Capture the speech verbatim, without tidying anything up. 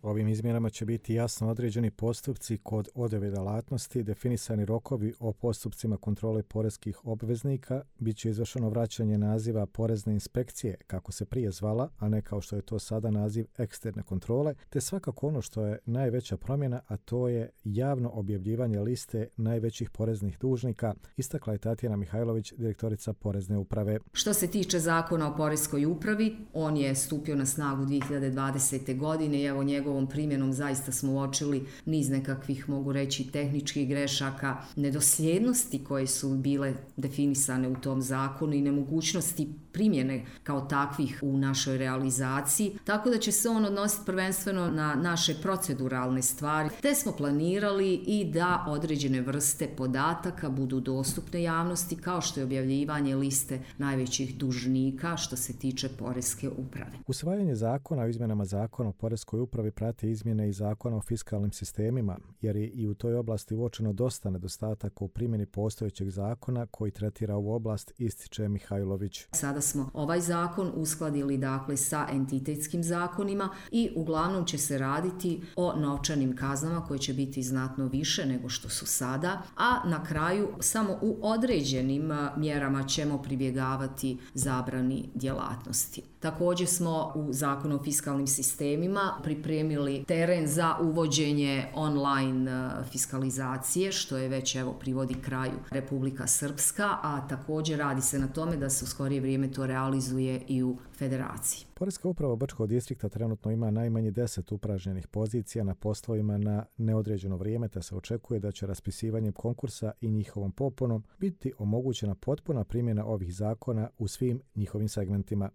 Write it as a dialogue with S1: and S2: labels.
S1: Ovim izmjenama će biti jasno određeni postupci kod odjave djelatnosti, definisani rokovi o postupcima kontrole poreskih obveznika, bit će izvršeno vraćanje naziva porezne inspekcije, kako se prije zvala, a ne kao što je to sada naziv eksterne kontrole, te svakako ono što je najveća promjena, a to je javno objavljivanje liste najvećih poreznih dužnika, istakla je Tatjana Mihajlović, direktorica Porezne uprave.
S2: Što se tiče Zakona o poreskoj upravi, on je stupio na snagu dvije hiljade dvadesete. godine i evo njegovom primjenom zaista smo uočili niz nekakvih, mogu reći, tehničkih grešaka, nedosljednosti koje su bile definisane u tom zakonu i nemogućnosti primjene kao takvih u našoj realizaciji, tako da će se on odnositi prvenstveno na naše proceduralne stvari, te smo planirali i da određene vrste podataka budu dostupne javnosti, kao što je objavljivanje liste najvećih dužnika što se tiče poreske uprave.
S1: Usvajanje zakona o izmjenama zakona o poreskoj upravi prati izmjene i zakona o fiskalnim sistemima, jer je i u toj oblasti uočeno dosta nedostataka u primjeni postojećeg zakona koji tretira ovu oblast, ističe Mihajlović.
S2: Sada smo ovaj zakon uskladili dakle sa entitetskim zakonima i uglavnom će se raditi o novčanim kaznama koje će biti znatno više nego što su sada, a na kraju samo u određenim mjerama ćemo pribjegavati zabrani djelatnosti. Također smo u zakonu o fiskalnim sistemima pripremili teren za uvođenje online fiskalizacije, što je već evo privodi kraju Republika Srpska, a također radi se na tome da se u skorije vrijeme to realizuje i u Federaciji.
S1: Poreska uprava Brčkog distrikta trenutno ima najmanje deset upražnjenih pozicija na poslovima na neodređeno vrijeme, te se očekuje da će raspisivanjem konkursa i njihovom popunom biti omogućena potpuna primjena ovih zakona u svim njihovim segmentima.